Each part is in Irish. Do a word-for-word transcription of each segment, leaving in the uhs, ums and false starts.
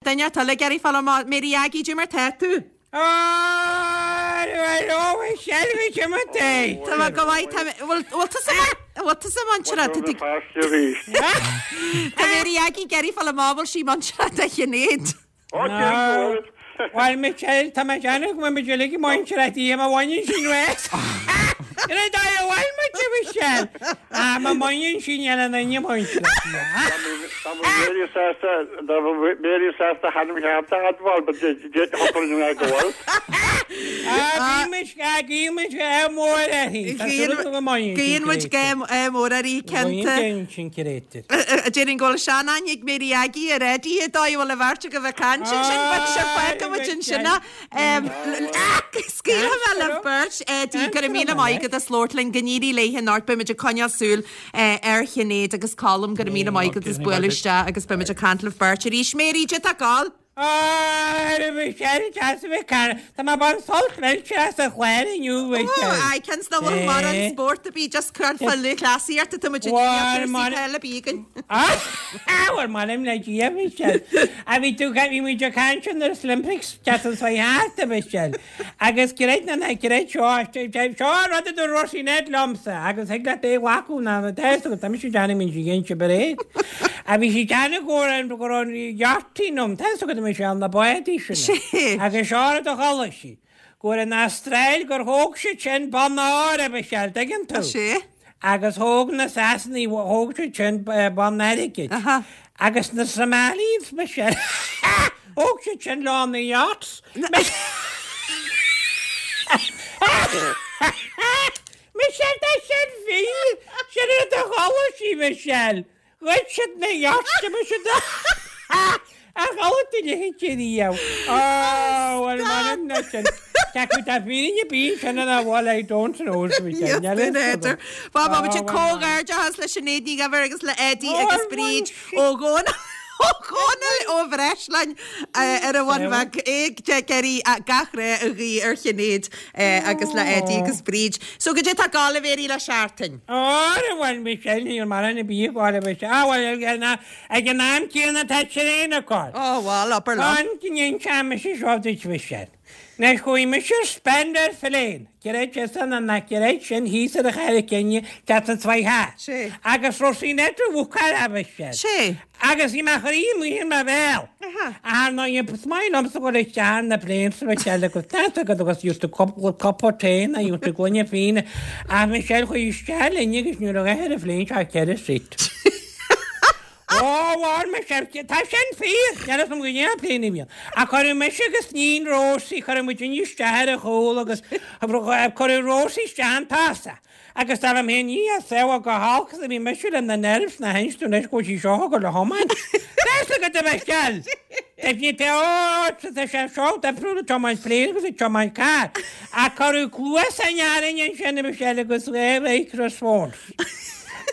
Duine eile ag iarraidh fáil amach Mary Aggie cad é mar tá tú. Tá mé go maith tá bhfuil bhfuil tusa bhfuil tusa muinteartha tá tú Tá Mary Aggie ag iarraidh fáil amach bhfuil sí muinteartha do Shinéad. Bhuel Michelle tá mé ag déanamh go bhfuil muid uilig muinteartha di má bhaineann sin uait. Ina dóigh a bhfuil muid a Michelle. Ah má bhaineann sin ar an duine muinteartha di. Tá Mary sásta Tá Mary sásta a hainm cheart a admháil, but d'fhéadfadh mé go bhfuil. Ah bhí muid guíonn muid ádh mór uirthi. Tá súil agam go mbaineann sin Guíonn muid créatúr. ádh mór uirthi cinnte. Baineann sin créatúr. Déarfainn go bhfuil seanaithne ag Mary Aggie ar Eddie an dóigh a bhfuil an bheirt agaibh ag caint ansin, but sure fágfaidh muid ansin é. Scaoilfidh mé libh beirt, Eddie, go raibh míle maith agat as labhairt linn, go n-éirí léi anocht, beidh muid ag coinneáil súil ar Shinéad agus Colm, go raibh míle maith agat as bualadh isteach agus beidh muid ag caint libh beirt arís. Mary, cad é atá ag gabháil? Ah Michelle deas a bheith cara. Tá mé ag baint sult millteach as an chlár inniu Michelle. Aye, cionn is nach bhfuil mórán spórt ar bith just cur fá lúthchleasaíocht atá muid ag Bhuel, cúrsaí mar- peile a bhí againn. Ah, bhuel m'anam le Dia Michelle. A bhí tú bhí muid ag caint ar na Olympics deas an seo thart a Michelle. Agus creid nó ná creid seo seo rud a dúirt Róisín Ned liomsa agus thig leat é a ghlacadh ná ná tá tá mise ag déanamh min sí ghéinte bréag. A bhí sí déanamh go raibh go raibh an yachting um tá agat Michelle na bádaí sin. Sé. Agus seo rud a chuala sí. Go raibh an Astráil gur thóg siad sin bonn óir a Michelle, tuigeann tú. Sé. Agus thóg na Sasanaigh thóg siad sin bonn airgid. Aha. Agus na Somalians Michelle. Thóg siad sin lán na yachts. Michelle tá sin fíor sin rud a chuala sí Michelle. Ghoid siad na yachts siad a chuala tú le riamh. Ó bhuel m'anam leis sin. Ceapadh tá fírinne bí sin ina bhfuil I don't know Michelle. Yes, N'fheadar. Bá bá muid comhghairdeachas le Sinéad Ní Dhuibhir agus le Eddie agus Bríd ó Dhónaill ó Dhónaill ó Bhreisleáin ar an Bhun Bheag ag geirí gach rath a ghuí ar Shinéad agus le Eddie agus Bríd. So cad é atá ag gabháil a Mhéirí le seachtain. Ó bhuel Michelle ní mar an bí gáil Michelle. Ah bhuel ag an am céanna tá traein acu. Ó bhuel abair liom. An gníonn mise seo duit Michelle. Anois chuaigh mise ar spend ar plane, Creid é san an na creid sin thíos ar a chair cinne ceart an tsvaithe. Sé. Agus Róisín Ned a bhuacáil a Michelle. Sé. Agus bhí mé chroí amuigh in mo bhéal. Aha. Ar ná is maith liomsa go isteach na plane sa Michelle agus tá agat agus just a couple cup of tea na just a gloine fíona. Ach Michelle chuaigh isteach linn agus nuair a ghaith ar an phlane seo ceithre seat. Ó bhar Michelle tá sin fíor Níl am go ndéan plane bhíon. A chuir mise agus níon Rosie chuir muid isteach ar a chúl agus chuir Rosie isteach an tasa. Agus dar am féin ní a sa go halcas a bhí mise le na nerves na hinstú leis go sí seo go le thiomáint. Tá go de Michelle. Tá ní te ó tá sé seo difriúil tiomáint plane agus tiomáint carr. A chuir cluas an nearin sin a Michelle agus le response.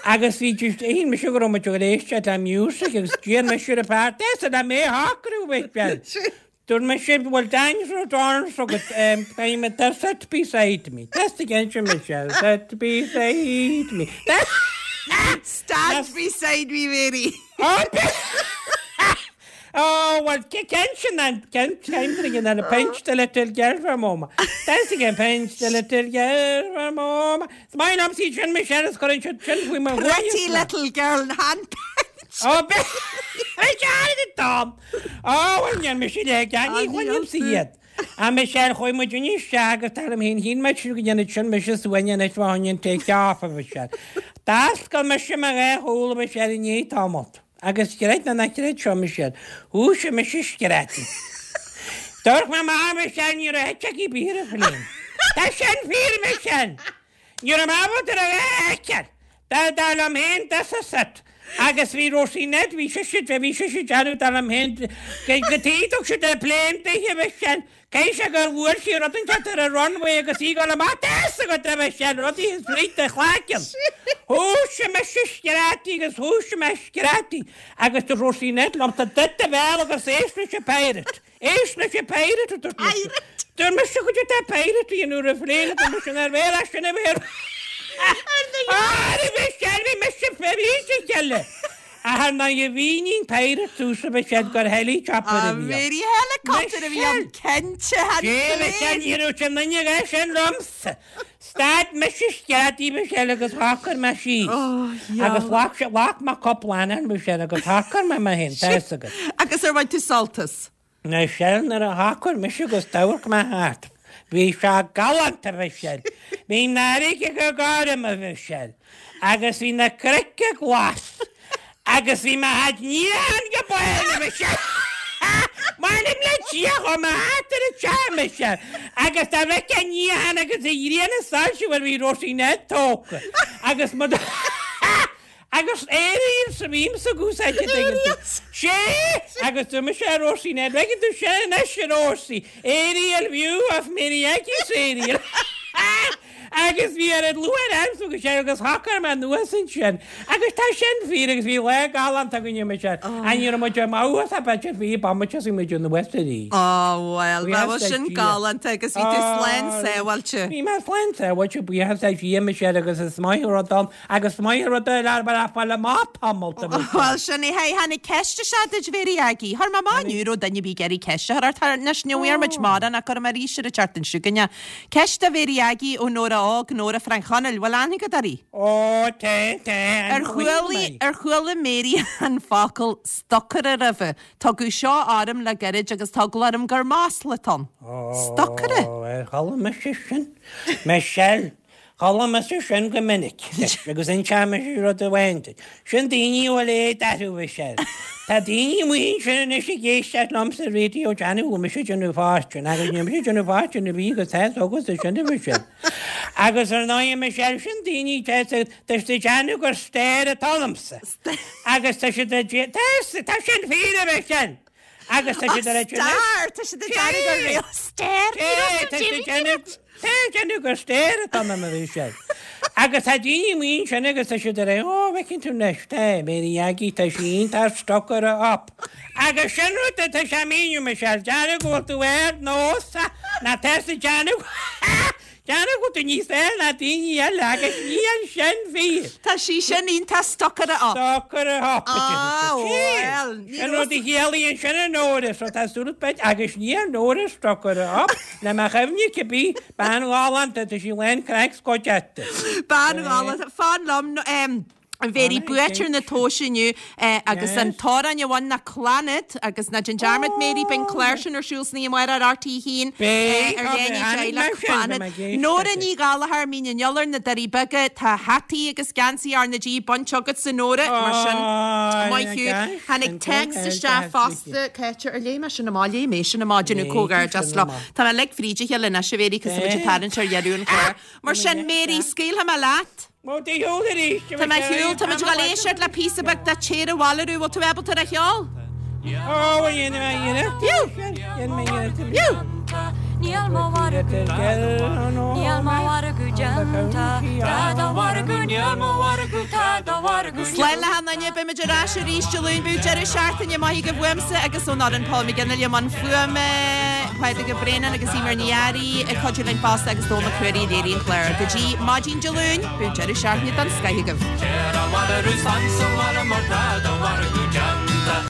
Agus bhí just aon mise go raibh muid ag éisteacht le music agus d'iarr mise ar an fear "Tá le mé shocrú Michelle. Dúirt mise bhfuil dinosaur dinosaur agat um, tá sit beside me. That's again Michelle. Sit beside me. Stand beside me, Mary. Oh, Oh, well, cén sin an cén cén an pinch the little girl from Omagh. That's again pinch the little girl from Omagh. Is maith liom sí sin Michelle is chuir sin sin faoi mo Pretty little girl hand pinch. Oh, be Tom. Oh, well, níl mise le gan ní chuim si iad. A Michelle chuaigh muid isteach agus tar am héin hín me go dhéanana sin mise suaine is bháin take off a Michelle. D'oscail mise mo dhá shúil Michelle i ndiaidh tamalt. Agus creid nó ná creid seo Michelle. Thosaigh mise screadaíl. Dúirt mé má Michelle ní raibh eite bí ar an phlane. Tá sin fíor Michelle. Ní raibh mé ábalta a fheiceáil. Dá dá liom féin this is it. Agus bhí Rosie Ned bhí sé si bhí sé si deanú dá liom féin go tíach siad ar plane duithe Michelle. Cé sé gur bhfuair sí rud inteacht ar a runway agus í go amach go raibh Michelle rudaí is fríd de chlaiceann. Thosaigh mise screadaíl agus thosaigh mé screadaíl agus dúirt Rosie Ned liomsa druid do bhéal agus éist leis an pirate. Éist leis an pirate a dúirt mise. Pirate. Dúirt mise go dtí pirate í nuair a phlane dúirt mise ar bhéal as sin a bhéal. Ah, bhí Michelle bhí mise bhí cheile. Ach ná a bhínín péire túsa be siad gur helicopter a bhí. Mary helicopter a bhí an cinnte Sé ní raibh sin duine sin liomsa. Stad mise sceadaí Michelle agus thacair mé síos. Agus ghlac ghlac mé cúpla anam Michelle agus thacair mé mé féin tá fhios agat. Agus ar bhain tú sult as? Michelle nuair a thacair mise agus d'amharc mé thart. Bhí sé galánta Michelle. Bhí an fharraige go gorm a Michelle. Agus bhí na cnoic glas. Agus bhí mé thart níocháin go baile Michelle. M'anam le Dia chuaigh mé thart ar an teach Michelle. Agus dá bhfeicfeá an níochán agus an ghrian ag soilsiú bhuel bhí Róisín Ned tógtha. Agus mo Agus aerials a bhímsa ag úsáid an dtuigeann tú. Sé! Agus dúirt mise le Róisín Ned, bhfeiceann tú sin anois a Róisí, aerial view of Mary Aggie's aerial. Agus bhí ar an luath agamsa agus sé agus thacair mé anuas ansin. Agus tá sin fíor agus bhí lá galánta againne Michelle. An ní raibh muid amach as a b'fhéidir bhí bomaite is bhí muid anuas arís. Ó bhuel, Buíochas bheadh le sin Dia. galánta agus bhí tú slán sábháilte. Bhí mé slán sábháilte, buíochas le Dia Michelle agus is maith an rud ann agus maith an rud é lear mar a fáil amach tamall de Michelle. Bhuel sin é, hey, tháinig ceist isteach duit Mary Aggie. Chuir mé amach inniu raibh duine ar bith ag iarraidh ceist a chur ort anois ní bhfuair muid mórán ach cuirfidh mé arís ar an tseachtain seo chugainn. Ceist do Mhary Aggie ó Nóra Óg, Nóra Frank Chonaill, bhfuil aithne agat uirthi? Ó, tá, tá, Ar chuala ar chuala Mary an focal stocaire roimhe. Tugadh seo orm le gairid agus tá eagla orm gur masla atá ann. Stocaire? Ó, ar chuala mise sin. Michelle, chuala mise sin go minic. Agus inseoidh mise rud amháin duit. Sin daoine a bhfuil éad orthu, Michelle. Tá daoine amuigh ansin anois ag éisteacht liom sa raidió déanamh go mise déanamh fortune, agus níl mise déanamh fortune a bhí agus tá agus é sin a Michelle. Agus ar ndóigh Michelle, sin daoine tá tá siad ag déanamh gur star atá ionamsa. Agus tá siad ag dé- tá tá sin fíor, a Michelle. Agus tá siad ag déanamh- Star, tá siad ag déanamh gur réal star. Sé, tá siad ag déanamh- tá déanamh gur star atá ionam a Michelle. Agus tá daoine amuigh ansin agus tá siad ag rá, ó, bhfeiceann tú anois, tá, Mary Aggie, tá sí iontach stocaire up. Agus sin rud atá sé míniú, Michelle, déanamh go bhfuil tú ar nós, ná tá siad déanamh déanamh go bhfuil tú níos fearr ná daoine eile agus níl sin fíor. Tá sí sin iontach stocaire up. Stocaire up. Ah, well, ní Sin rud a chiallaíonn sin a Nóra, so tá súil beid agus níl Nóra stocaire up, le mo chuimhne cibé, bean ghalánta, tá sí lán craic scoiteachta. Bean ghalánta, fan liom, um, Mary buaiteoir na tomhaise inniu eh, agus an t-amhrán a bhain na Clannad agus ná déan dearmad Mary beidh an clár sin ar siúl san oíche amárach ar R T haon Beidh, ar tá dhéanaí mé teaghlach tháinig mar sin, Clannad. tá mé ag éisteacht Nóra leis. Ní Ghallchóir Mín an Iolair na Doirí Beaga tá hataí agus geansaí R na G bainte agat a Nóra mar sin Ó, maith thú. yeah, Tháinig sin text go isteach hard, fosta Cáite ar léigh mé sin amach léigh mé sin amach déanamh Léigh comhghairdeas sin leo. amach. Tá mé ag fríd a chéile anois a Mhary cos tá muid ag tarraingt ar dheireadh an chláir. Mar sin Mary scaoilfidh mé leat. Mo dé shiúl arís. Tá mé shiúl, tá muid ag dul éisteacht le píosa beag de Téir Abhaile Arú, bhfuil tú ábalta ar a cheol? Ó, dhéanfaidh mé iarracht. Fiú! Dhéanfaidh mé iarracht. Fiú! Níl mo mhargadh Níl mo mhargadh déanta Tá do mhargadh níl mo mhargadh tá do mhargadh Slán le hAnna, beimid ar ais arís Dé Luain bíodh deireadh seachtaine maith agaibh uaimse agus ón fhoireann Paul McGinley i mbun fuaime, Pádraig Ó Braonáin agus Eimear Ní Fhearraigh ag cuidiú linn fosta agus Dónal Mac Ruairí ag léiriú an chláir. Go dtí maidin Dé Luain, bíodh deireadh seachtaine den scoth agaibh. Téir abhaile arú fan sa bhaile mar tá do mhargadh déanta.